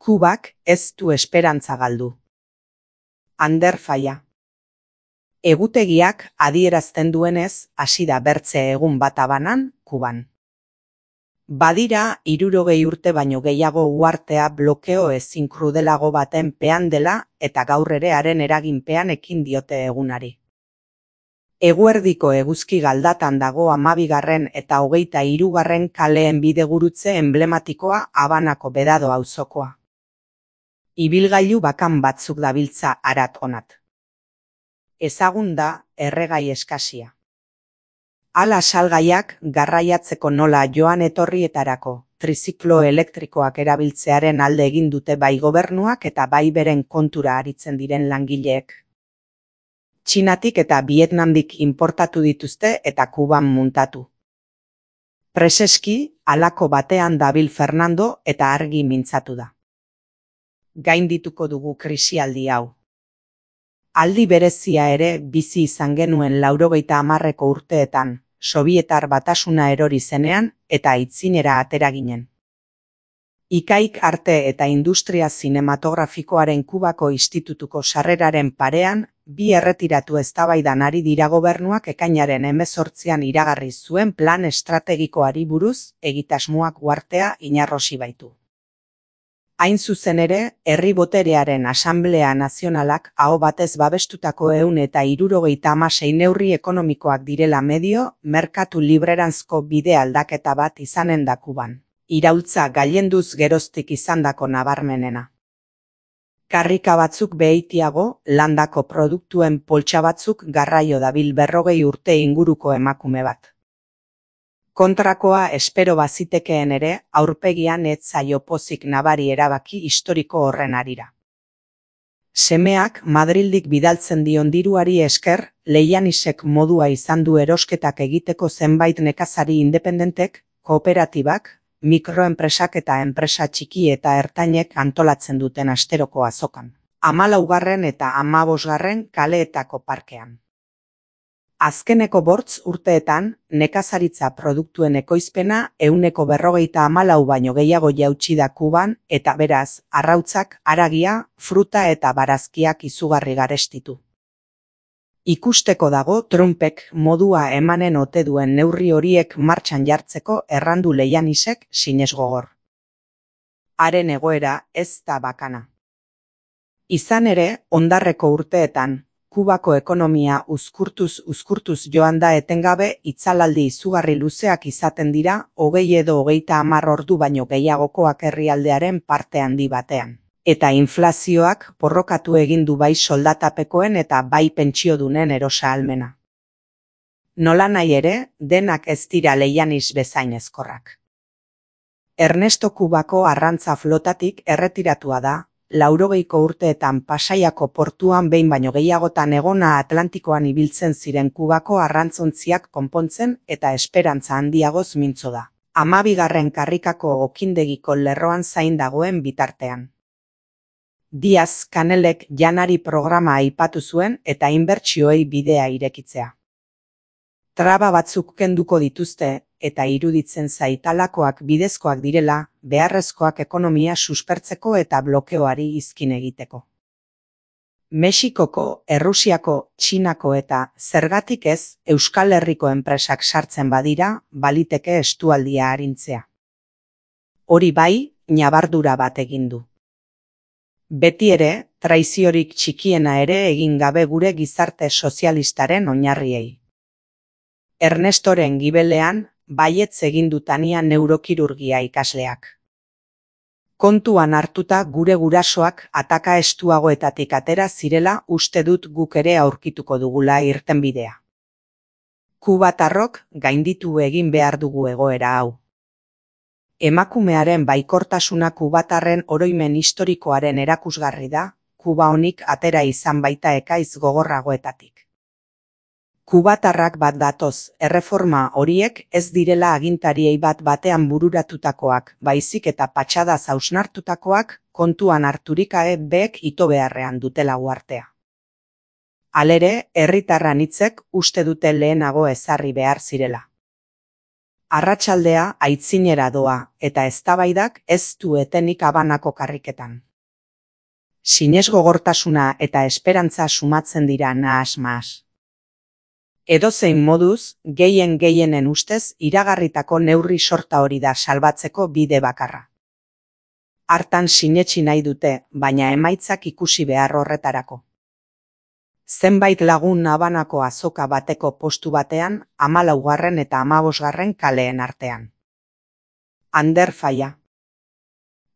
Kubak ez du esperantza galdu. Ander Falla. Egutegiak adierazten duenez, hasi da bertze egun bat Habanan, Kuban. Badira 60 urte baino gehiago uhartea blokeo ezin krudelago baten pean dela eta gaur ere haren eraginpean ekin diote egunari. Eguerdiko eguzki galdatan dago 12. eta 23. kaleen bidegurutze emblematikoa Habanako Bedado auzokoa. Ibilgailu bakan batzuk dabiltza harat onat. Ezagun da erregai eskasia. Hala salgaiak garraiatzeko nola joan etorrietarako triziklo elektrikoak erabiltzearen alde egin dute bai gobernuak eta bai beren kontura aritzen diren langileek. Txinatik eta Vietnamdik inportatu dituzte eta Kuban muntatu. Preseski, halako batean dabil Fernando eta argi mintzatu da. Gaindituko dugu krisialdi hau. Aldi berezia ere bizi izan genuen 90 urteetan, Sobietar Batasuna erori zenean eta aitzinera atera ginen. Ikaik arte eta industria zinematografikoaren Kubako institutuko sarreraren parean, bi erretiratu eztabaidan ari dira gobernuak ekainaren 18an iragarri zuen plan estrategikoari buruz egitasmoak uhartea inarrosi baitu. Hain zuzen ere, herri boterearen Asanblea Nazionalak aho batez babestutako 176 neurri ekonomikoak direla medio, merkatu libreranzko bide aldaketa bat izanen da Kuban. Iraultza gailenduz geroztik izandako nabarmenena. Karrika batzuk behitiago, landako produktuen poltsa batzuk garraio dabil 40 urte inguruko emakume bat. Kontrakoa espero bazitekeen ere, aurpegian ez zaio pozik nabari erabaki historiko horren harira. Semeak Madrildik bidaltzen dion diruari esker, Leianisek modua izan du erosketak egiteko zenbait nekazari independentek, kooperatibak, mikroenpresak eta enpresa txiki eta ertainek antolatzen duten asteroko azokan. 14. eta 15. kaleetako parkean. Azkeneko 8 urteetan, nekazaritza produktuen ekoizpena 154 baino gehiago jautsi da Kuban eta beraz, arrautzak, haragia, fruta eta barazkiak izugarri garestitu. Ikusteko dago Trumpek modua emanen ote duen neurri horiek martxan jartzeko errandu Leianisek sinesgogor. Haren egoera ez da bakana. Izan ere, ondarreko urteetan, Kubako ekonomia uzkurtuz joan da etengabe itzalaldi izugarri luzeak izaten dira 20 edo 30 ordu baino gehiagokoak herrialdearen parte handi batean. Eta inflazioak porrokatu egin du bai soldatapekoen eta bai pentsiodunen erosahalmena. Nolanahi ere, denak ez dira Leianis bezain ezkorrak. Ernesto Kubako arrantza flotatik erretiratua da, 80ko urteetan Pasaiako portuan behin baino gehiagotan egona Atlantikoan ibiltzen ziren Kubako arrantzontziak konpontzen eta esperantza handiagoz mintzo da. 12. karrikako okindegiko lerroan zain dagoen bitartean. Diaz Canelek janari programa aipatu zuen eta inbertsioei bidea irekitzea. Traba batzuk kenduko dituzte eta iruditzen zaitalakoak bidezkoak direla, beharrezkoak ekonomia suspertzeko eta blokeoari izkin egiteko. Mexikoko, Errusiako, Txinako eta zergatik ez Euskal Herriko enpresak sartzen badira, baliteke estualdia arintzea. Hori bai, ñabardura bat egin du. Beti ere, traiziorik txikiena ere egin gabe gure gizarte sozialistaren oinarriei. Ernestoren gibelean, baietz egin dutania neurokirurgia ikasleak. Kontuan hartuta gure gurasoak ataka estuagoetatik atera zirela uste dut guk ere aurkituko dugula irtenbidea. Kubatarrok gainditu egin behar dugu egoera hau. Emakumearen baikortasuna kubatarren oroimen historikoaren erakusgarri da, Kuba honik atera izan baita ekaiz gogorragoetatik. Kubatarrak bat datoz, erreforma horiek ez direla agintariei bat batean bururatutakoak, baizik eta patxadaz hausnartutakoak, kontuan harturik beek ito beharrean dutela uhartea. Halere, herritarran hitzek uste dute lehenago ezarri behar zirela. Arratsaldea aitzinera doa eta eztabaidak ez du etenik Habanako karriketan. Sinesgogortasuna eta esperantza sumatzen dira nahas-mahas. Edozein moduz, gehienen ustez iragarritako neurri sorta hori da salbatzeko bide bakarra. Hartan sinetsi nahi dute, baina emaitzak ikusi behar horretarako. Zenbait lagun Habanako azoka bateko postu batean, 14. eta 15. kaleen artean. Ander Falla.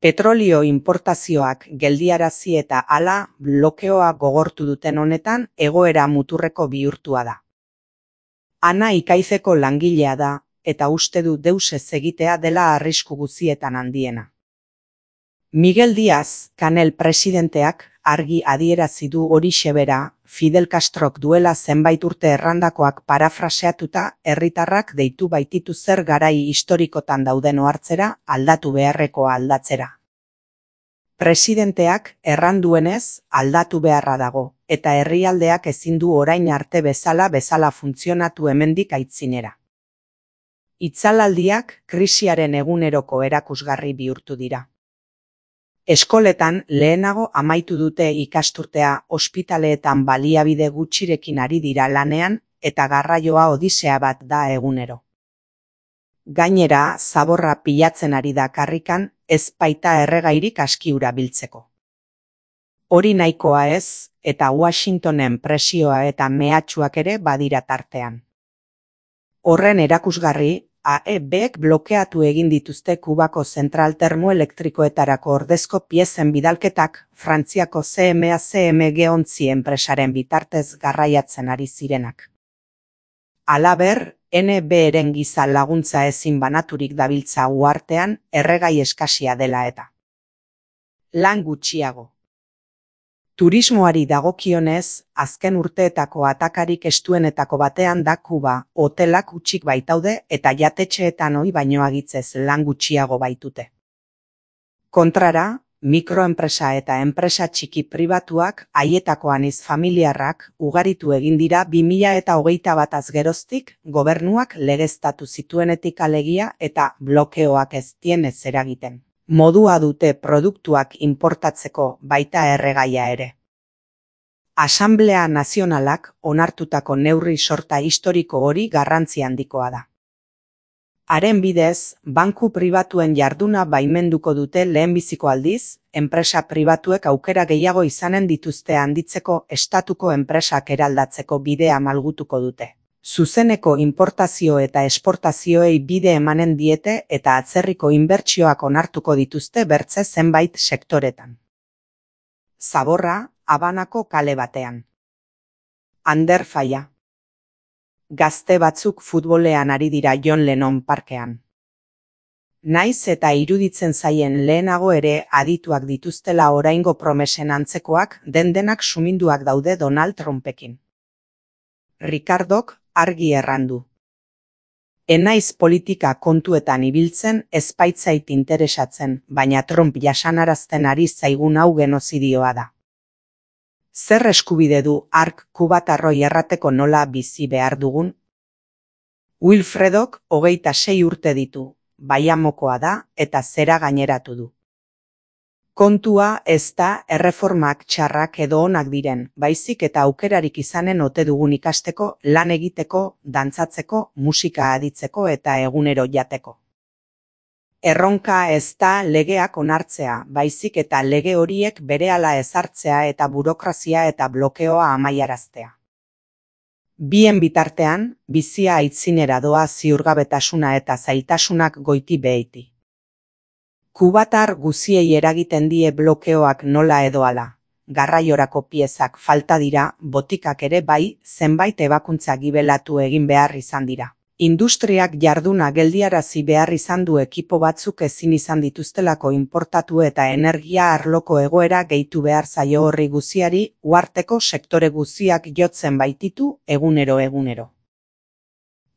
Petrolio importazioak geldiarazi eta hala blokeoa gogortu duten honetan egoera muturreko bihurtua da. Ana Ikaizeko langilea da, eta uste du deus ez egitea dela arrisku guzietan handiena. Miguel Díaz, Kanel presidenteak, argi adierazi du horixe bera, Fidel Castrok duela zenbait urte errandakoak parafraseatuta herritarrak deitu baititu zer garai historikotan dauden ohartzera, aldatu beharrekoa aldatzera. Presidenteak erranduenez aldatu beharra dago, eta herrialdeak ezin du orain arte bezala funtzionatu hemendik aitzinera. Itzalaldiak krisiaren eguneroko erakusgarri bihurtu dira. Eskoletan lehenago amaitu dute ikasturtea, ospitaleetan baliabide gutxirekin ari dira lanean eta garraioa odisea bat da egunero. Gainera, zaborra pilatzen ari da karrikan, ez baita erregairik askiura biltzeko. Hori nahikoa ez, eta Washingtonen presioa eta mehatxuak ere badira tartean. Horren erakusgarri, AEBek blokeatu egin dituzte Kubako zentral termoelektrikoetarako ordezko piezen bidalketak Frantziako CMA-CMG ontzi enpresaren bitartez garraiatzen ari zirenak. Halaber, NBren giza laguntza ezin banaturik dabiltza uhartean erregai eskasia dela eta. Lan gutxiago. Turismoari dagokionez, azken urteetako atakarik estuenetako batean da Kuba, hotelak hutsik baitaude eta jatetxeetan ohi baino agitzez lan gutxiago baitute. Kontrara, mikroenpresa eta enpresa txiki pribatuak, haietako aniz familiarrak, ugaritu egin dira 2021 geroztik, gobernuak legeztatu zituenetik alegia eta blokeoak ez dienez eragiten. Modua dute produktuak importatzeko baita erregaia ere. Asanblea Nazionalak onartutako neurri sorta historiko hori garrantzi handikoa da. Haren bidez, banku pribatuen jarduna baimenduko dute lehenbiziko aldiz, enpresa pribatuek aukera gehiago izanen dituzte handitzeko estatuko enpresak eraldatzeko bidea malgutuko dute. Zuzeneko importazio eta esportazioei bide emanen diete eta atzerriko inbertsioak onartuko dituzte bertze zenbait sektoretan. Zaborra, Habanako kale batean. Ander Falla. Gazte batzuk futbolean ari dira John Lennon parkean. Naiz eta iruditzen zaien lehenago ere adituak dituztela oraingo promesen antzekoak denak suminduak daude Donald Trumpekin. Ricardok argi errandu. Enaiz politika kontuetan ibiltzen ez baitzait interesatzen, baina Trump jasanarazten ari zaigun hau genozidioa da. Zer eskubide du hark kubatarroi errateko nola bizi behar dugun? Wilfredok 26 urte ditu, baiamokoa da eta zera gaineratu du. Kontua ez da erreformak txarrak edo onak diren, baizik eta aukerarik izanen ote dugun ikasteko, lan egiteko, dantzatzeko, musika aditzeko eta egunero jateko. Erronka ez da legeak onartzea, baizik eta lege horiek berehala ezartzea eta burokrazia eta blokeoa amaiaraztea. Bien bitartean, bizia aitzinera doa ziurgabetasuna eta zailtasunak goiti beheiti. Kubatar guziei eragiten die blokeoak nola edo hala. Garraiorako piezak falta dira, botikak ere bai, zenbait ebakuntza gibelatu egin behar izan dira. Industriak jarduna geldiarazi behar izan du ekipo batzuk ezin izan dituztelako inportatu eta energia arloko egoera gehitu behar zaio horri guziari, uharteko sektore guziak jotzen baititu egunero.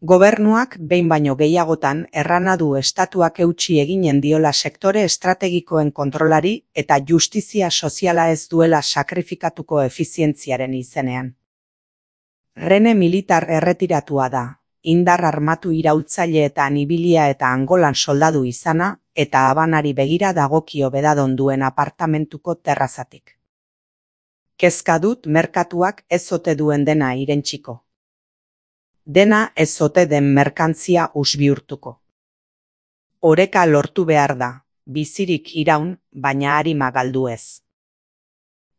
Gobernuak behin baino gehiagotan errana du estatuak eutsi eginen diola sektore estrategikoen kontrolari eta justizia soziala ez duela sakrifikatuko efizientziaren izenean. Rene militar erretiratua da, indar armatu iraultzaileetan ibilia eta Angolan soldadu izana, eta Habanari begira dagokio bedadon duen apartamentuko terrazatik. Kezka dut merkatuak ez ote duen dena irentsiko. Dena ez ote den merkantzia bihurtuko. Oreka lortu behar da, bizirik iraun, baina arima galdu ez.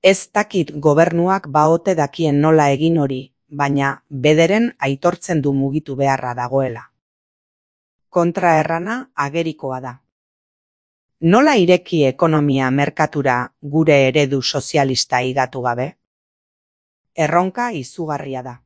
Ez dakit gobernuak baote dakien nola egin hori, baina bederen aitortzen du mugitu beharra dagoela. Kontraerrana agerikoa da. Nola ireki ekonomia merkatura gure eredu sozialista higatu gabe? Erronka izugarria da.